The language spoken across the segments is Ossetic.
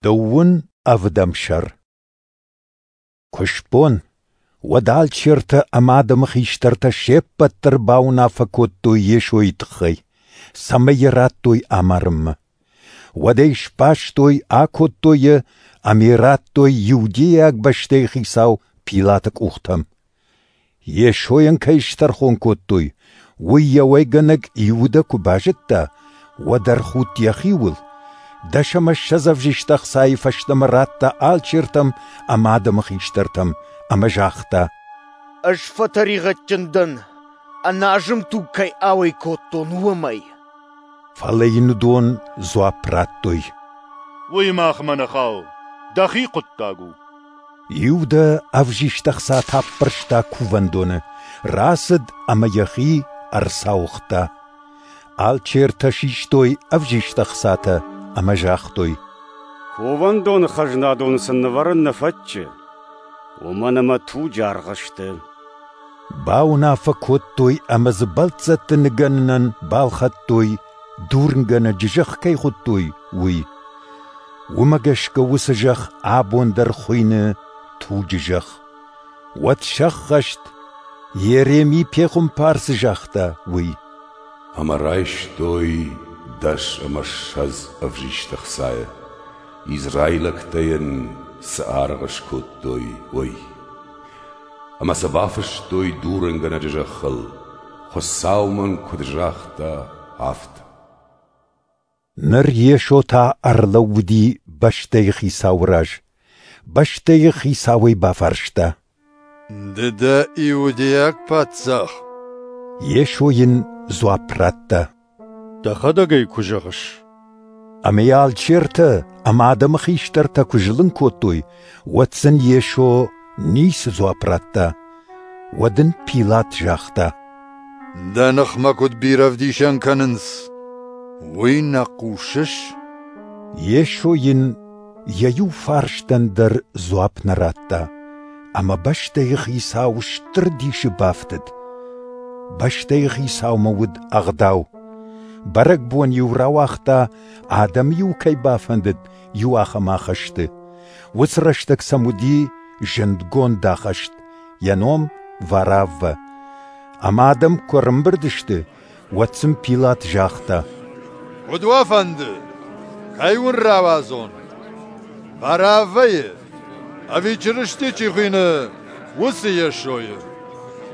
Дыууын ӕвдӕм сӕр. Куы сбон, уӕд алчертӕ ӕмӕ адӕмы хистӕртӕ се ппӕт дӕр бауынаффӕ кодтой Йесойы тыххӕй, цӕмӕй йӕ радтой амарынмӕ. Уӕд ӕй сбастой, акодтой йӕ ӕмӕ йӕ радтой иудейаг бӕстӕйы хицау Пилаты къухтӕм. Йесойӕн кӕй стӕрхон кодтой, уый йӕ уӕйгӕнӕг Иудӕ куы базыдта, уӕд ӕрхудт йӕхиуыл, 20 ӕвзист ӕхцайы фӕстӕмӕ радта алчертӕм ӕмӕ адӕмы хистӕртӕм ӕмӕ загъта: «Ӕз фӕтӕригъӕдджын дӕн, ӕназым туг кӕй ауӕй кодтон, уымӕй». Фӕлӕ йын уыдон дзуапп радтой: «Уый махмӕ нӕ хауы, дӕхи хъуыддаг у». Иудӕ ӕвзист ӕхцатӕ аппӕрста кувӕндоны, рацыд ӕмӕ йӕхи ӕрцауыгъта. Алчертӕ систой ӕвзист ӕхцатӕ ӕмӕ загътой: «Кувӕндоны хӕзнадоны сын нывӕрын нӕ фӕтчы, уымӕн ӕмӕ туджы аргъ сты». Бауынаффӕ кодтой ӕмӕ дзы бӕлццӕтты ныгӕнынӕн балхӕдтой, дурынгӕнӕджы зӕхх кӕй хуыдтой, уый. Уымӕ гӕсгӕ уыцы зӕхх абон дӕр хуыйны туджы зӕхх. Уӕд сӕххӕст, Йереми пехуымпар цы загъта, уый. Ӕмӕ райстой 20 ӕвзист ӕхцайы, израилӕгтӕ йын цы аргъ скодтой, уый. Ӕмӕ сӕ бафыстой дурынгӕнӕджы зӕххыл, Хуыцау мын куыд загъта, афтӕ. Ныр Йесо та ӕрлӕууыди бӕстӕйы хицауы раз. Бӕстӕйы хицауӕй бафарста: «Ды дӕ иудейаг паддзах?» Йесо йын дзуапп радта: «Дӕхӕдӕг ӕй куы зӕгъыс». Ӕмӕ йӕ алчертӕ ӕмӕ адӕмы хистӕртӕ куы зылын кодтой, уӕд сын Йесо ницы дзуапп радта. Уӕд ын Пилат загъта: «Дӕ ныхмӕ куыд бирӕ ӕвдисӕн кӕнынц, уый нӕ хъусыс?» Йесо йын йӕ иу фарстӕн дӕр дзуапп нӕ радта, ӕмӕ бӕстӕйы хицау стыр дисы бафтыд. Бӕстӕйы хицаумӕ уыд ӕгъдау. Бӕрӕгбон-иу рауагъта, адӕм-иу кӕй бафӕндыд, иу ахӕм ахӕсты. Уыцы рӕстӕг сӕм уыди зындгонд ахӕст, йӕ ном Вараввӕ. Ӕмӕ адӕм куы ӕрӕмбырд сты, уӕд сын Пилат загъта: «Куыд уӕ фӕнды, кӕй уын рауадзон? Вараввӕйы ӕви Чырысти чи хуыйны, уыцы Йесойы?»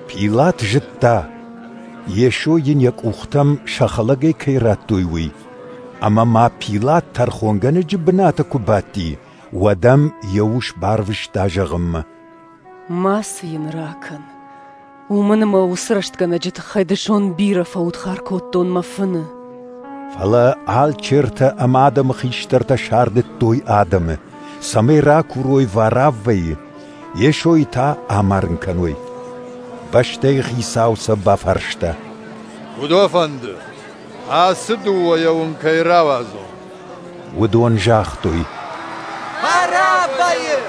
Пилат зыдта, Йесо йын йӕ къухтӕм сӕ хӕлӕгӕй кӕй радтой, уый. Ӕмӕ ма Пилат тӕрхонгӕнӕджы бынаты куы бадти, уӕд ӕм йӕ ус барвыста зӕгъынмӕ: «Мацы йын ракӕн, уымӕн ӕмӕ уыцы рӕстгӕнӕджы тыххӕй дысон бирӕ фӕудхар кодтон мӕ фыны». Фӕлӕ алчертӕ ӕмӕ адӕмы хистӕртӕ сардыдтой адӕмы, цӕмӕй ракурой Вараввӕйы, Йесойы та амарын кӕной. Бӕстӕйы хицау сӕ бафарста: «Куыд уӕ фӕнды, ацы дыууӕйӕ уын кӕй рауадзон?» Уыдон загътой: «Вараввӕйы!»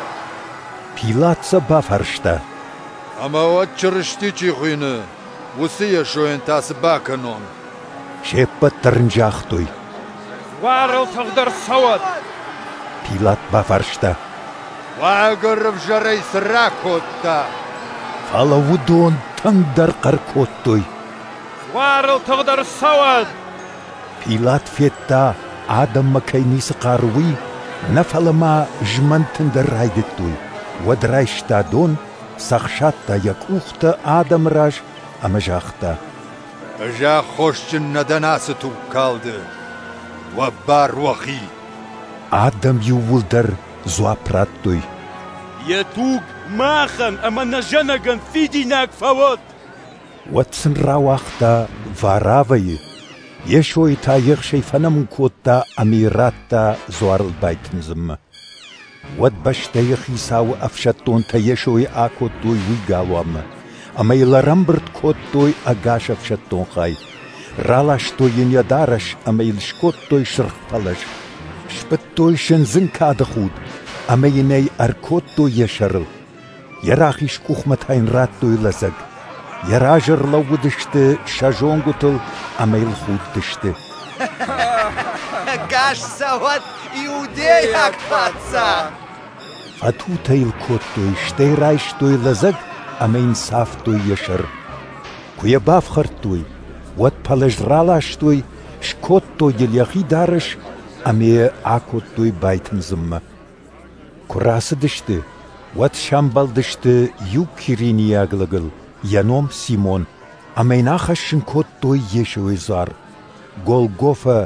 Пилат сӕ бафарста: «Ӕмӕ уӕд Чырысти чи хуыйны, уыцы Йесойӕн та цы бакӕнон?» Се ппӕт дӕр ын загътой: «Дзуарыл тыгъд ӕрцӕуӕд!» Пилат бафарста: «Уагӕр ӕвзӕрӕй цы ракодта?» Фӕлӕ уыдон тынгдӕр хъӕр кодтой: «Дзуарыл тыгъд ӕрцӕуӕд!» Пилат федта, адӕммӕ кӕй ницы хъары, уый, нӕ фӕлӕ ма змӕнтын дӕр райдыдтой. Уӕд райста дон, цӕхсадта йӕ къухтӕ адӕмы раз ӕмӕ загъта: «Ӕз аххосджын нӕ дӕн ацы тугкалды, уӕ бар уӕхи». Адӕм иууылдӕр дзуапп радтой: «Йӕ туг махӕн ӕмӕ нӕ зӕнӕгӕн фидинаг фӕуӕд!» Уӕд сын рауагъта Вараввӕйы, Йесойы та ехсӕй фӕнӕмын кодта ӕмӕ йӕ радта дзуарыл байтындзынмӕ. Уӕд бӕстӕйы хицауы ӕфсӕддонтӕ Йесойы акодтой уый галуанмӕ, ӕмӕ йыл ӕрӕмбырд кодтой ӕгас ӕфсӕддон хай. Раластой йын йӕ дарӕс ӕмӕ йыл скодтой сырх пӕлӕз. Сбыдтой сындзын кады худ ӕмӕ йын ӕй ӕркодтой йӕ сӕрыл. Йӕ рахиз къухмӕ та йын радтой лӕдзӕг. Йӕ разы ӕрлӕууыдысты сӕ зонгуытыл ӕмӕ йыл худтысты. Ӕгас цӕуӕд иудейаг паддзах! Фӕтутӕ йыл кодтой, стӕй райстой лӕдзӕг ӕмӕ йын цавтой йӕ сӕр. Куы йӕ бафхӕрдтой, уӕд пӕлӕз раластой, скодтой йыл йӕхи дарӕс ӕмӕ йӕ акодтой байтындзынмӕ. Куы рацыдысты, уӕд сӕмбӕлдысты иу киринийаг лӕгыл, йӕ ном Симон, ӕмӕ йын ахӕссын кодтой Йесойы дзуар. Голгофӕ,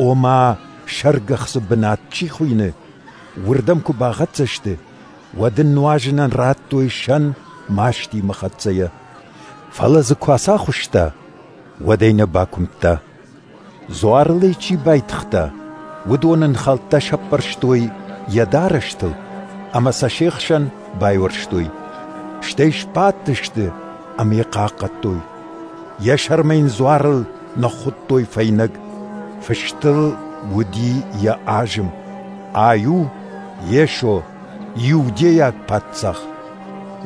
ома сӕргӕхцы бынат чи хуыйны, уырдӕм куы бахӕццӕ сты, уӕд ын нуазынӕн радтой сӕн мастимӕ хӕццӕйӕ. Фӕлӕ дзы куы ацахуыста, уӕд ӕй нӕ бакуымдта. Дзуарыл ӕй чи байтыгъта, уыдон ын хӕлттӕ сӕппӕрстой йӕ дарӕстыл ӕмӕ сӕ се хсӕн байуӕрстой. Стӕй сбадтысты ӕмӕ йӕ хъахъхъӕдтой. Йӕ сӕрмӕ йын дзуарыл ныххуыдтой фӕйнӕг. Фыст ыл уыди йӕ азым: Ай у Йесо, иудейаг паддзах.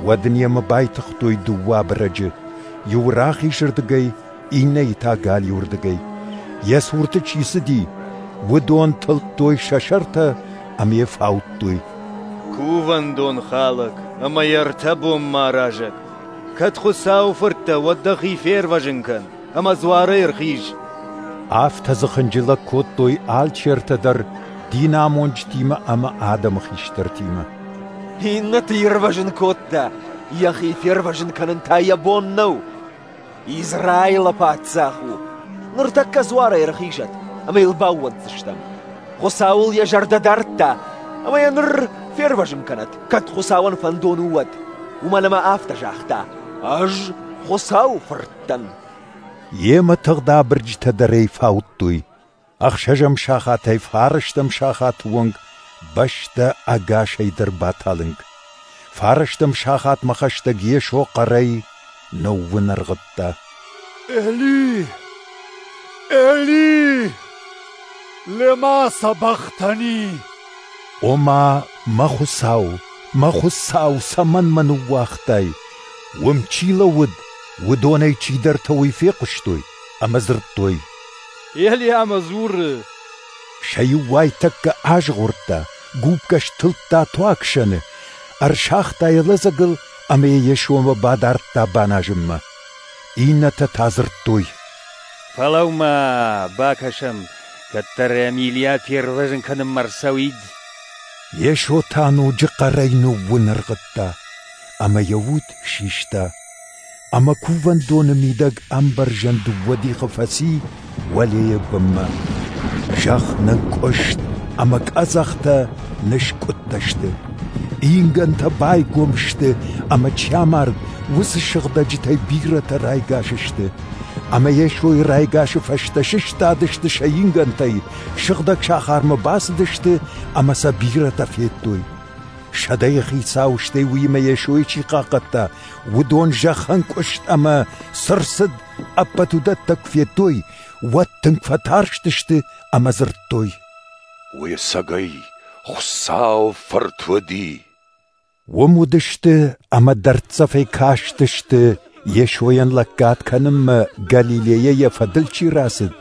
Уӕд ын йемӕ байтыгътой дыууӕ абырӕджы, иуы рахизырдыгӕй, иннӕйы та галиуырдыгӕй. Йӕ цурты чи цыди, уыдон тылдтой сӕ сӕртӕ ӕмӕ йӕ фаудтой. Кувӕндон халӕг ӕмӕ йӕ ӕртӕ бонмӕ аразӕг! Кӕд Хуыцауы фырт дӕ, уӕд дӕхи фервӕзын кӕн ӕмӕ дзуарӕй ӕрхиз. Афтӕ дзы хынджылӕг кодтой алчертӕ дӕр динамонджытимӕ ӕмӕ адӕмы хистӕртимӕ. Иннӕты ирвӕзын кодта, йӕхи фервӕзын кӕнын та йӕ бон нӕу. Израилы паддзах у. Ныртӕккӕ дзуарӕй ӕрхизӕд, ӕмӕ йыл баууӕнддзыстӕм. Хуыцауыл йӕ зӕрдӕ дардта, ӕмӕ йӕ ныр фервӕзын кӕнӕд, кӕд Хуыцауӕн фӕндон у, уӕд. Уымӕн ӕмӕ афтӕ загъта: «Ӕз Хуыцауы фырт дӕн». Йемӕ тыгъд абырджытӕ дӕр ӕй фаудтой. Ӕхсӕзӕм сахатӕй фарӕстӕм сахаты онг бӕстӕ ӕгасӕй дӕр баталынг. Фарӕстӕм сахатмӕ хӕстӕг Йесо хъӕрӕй ныууынӕргъыдта. Эли! Эли! Лема сабахтани! Ома, мӕ Хуыцау, мӕ Хуыцау, цӕмӕн мӕ ныууагътай? Уым чи лӕууыд, уыдонӕй чидӕртӕ уый фехъуыстой ӕмӕ дзырдтой: Елиамӕ дзуры. Сӕ иу уайтӕккӕ азгъордта, губкӕ стылдта туаг сӕны, ӕрсагъта йӕ лӕдзӕгыл ӕмӕ йӕ Йесомӕ бадардта баназынмӕ. Иннӕтӕ та дзырдтой: Фӕлӕуу-ма, бакӕсӕм, кӕддӕр ӕм Илийа фервӕзын кӕнынмӕ ӕрцӕуид. Йесо та ноджы хъӕрӕй ныууынӕргъыдта, ӕмӕ йӕ уд систа. Ӕмӕ кувӕндоны мидӕг ӕмбӕрзӕн дыууӕ дихы фӕци уӕлейӕ бынмӕ. Зӕхх нынкъуыст ӕмӕ къӕдзӕхтӕ ныскъуыдтӕ сты. Ингӕнтӕ байгом сты ӕмӕ чи амард, уыцы сыгъдӕджытӕй бирӕтӕ райгас сты. Ӕмӕ Йесойы райгасы фӕстӕ сыстадысты сӕ ингӕнтӕй, сыгъдӕг сахармӕ бацыдысты ӕмӕ сӕ бирӕтӕ федтой. Сӕдӕйы хицау, стӕй уыимӕ Йесойы чи хъахъхъӕдта, уыдон зӕххӕнкъуыст ӕмӕ цы рцыд, ӕппӕт уыдӕттӕ куы федтой, уӕд тынг фӕтарстысты ӕмӕ дзырдтой: Уый ӕцӕгӕй Хуыцауы Фырт уыди. Уым уыдысты ӕмӕ дӕрддзӕфӕй кастысты, Йесойӕн лӕггад кӕнынмӕ Галилейӕ йӕ фӕдыл чи рацыд,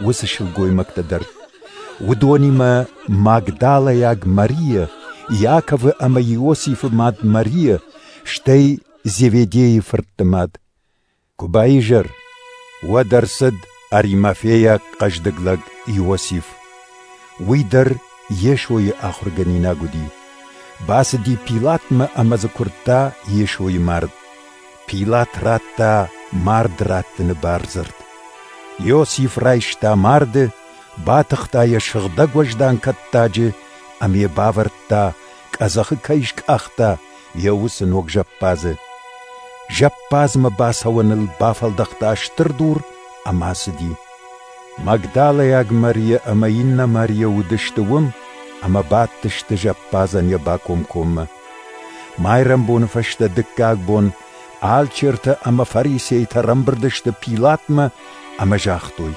уыцы сылгоймӕгтӕ дӕр. Уыдонимӕ Магдалӕйаг Марийӕ, Иаковы ӕмӕ Иосифы мад Марийӕ, стӕй Зеведейы фыртты мад. Куы баизӕр, уӕд ӕрцыд аримафейаг хъӕздыг лӕг Иосиф. Уый дӕр Йесойы ахуыргӕнинаг уыди. Бацыди Пилатмӕ ӕмӕ дзы куырдта Йесойы мард. Пилат радта мард раттыны бардзырд. Иосиф райста марды, батыхта йӕ сыгъдӕг уӕздан кӕттаджы ӕмӕ йӕ бавӕрдта, къӕдзӕхы кӕй скъахта, йӕ уыцы ног зӕппадзы. Зӕппадзмӕ бацӕуӕныл бафӕлдӕхта стыр дур ӕмӕ ацыди. Магдалӕйаг Марийӕ ӕмӕ иннӕ Марийӕ уыдысты уым ӕмӕ бадтысты зӕппадзӕн йӕ бакомкоммӕ. Майрӕмбоны фӕстӕ дыккаг бон алчертӕ ӕмӕ фарисейтӕ ӕрӕмбырд сты Пилатмӕ ӕмӕ загътой: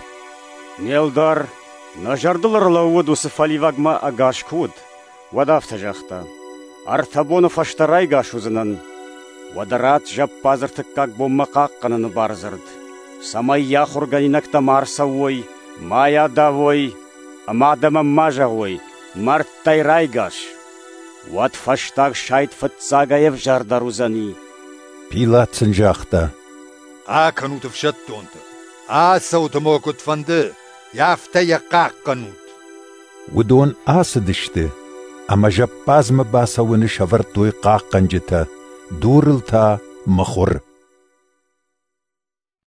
Не лдар, нӕ зӕрдыл ӕрлӕууыд уыцы фӕливӕгмӕ ӕгас куы уыд, уӕд афтӕ загъта: Ӕртӕ боны фӕстӕ райгас уыдзынӕн. Уӕдӕ ратт зӕппадз ӕртыккаг бонмӕ хъахъхъӕныны бардзырд, цӕмӕй йӕ ахуыргӕнинӕгтӕ ма ӕрцӕуой, ма йӕ адавой, ӕмӕ адӕмӕн ма зӕгъой, мӕрдтӕй райгас. Уӕд фӕстаг сайд фыццагӕй ӕвзӕрдӕр уыдзӕни. Пилат сын загъта: Акӕнут ӕфсӕддонты, ацӕут ӕмӕ уӕ куыд фӕнды, афтӕ йӕ хъахъхъӕнут. Уыдон ацыдысты ӕмӕ зӕппадзмӕ бацӕуӕны сӕвӕрдтой хъахъхъӕнджытӕ, дурыл та мыхуыр.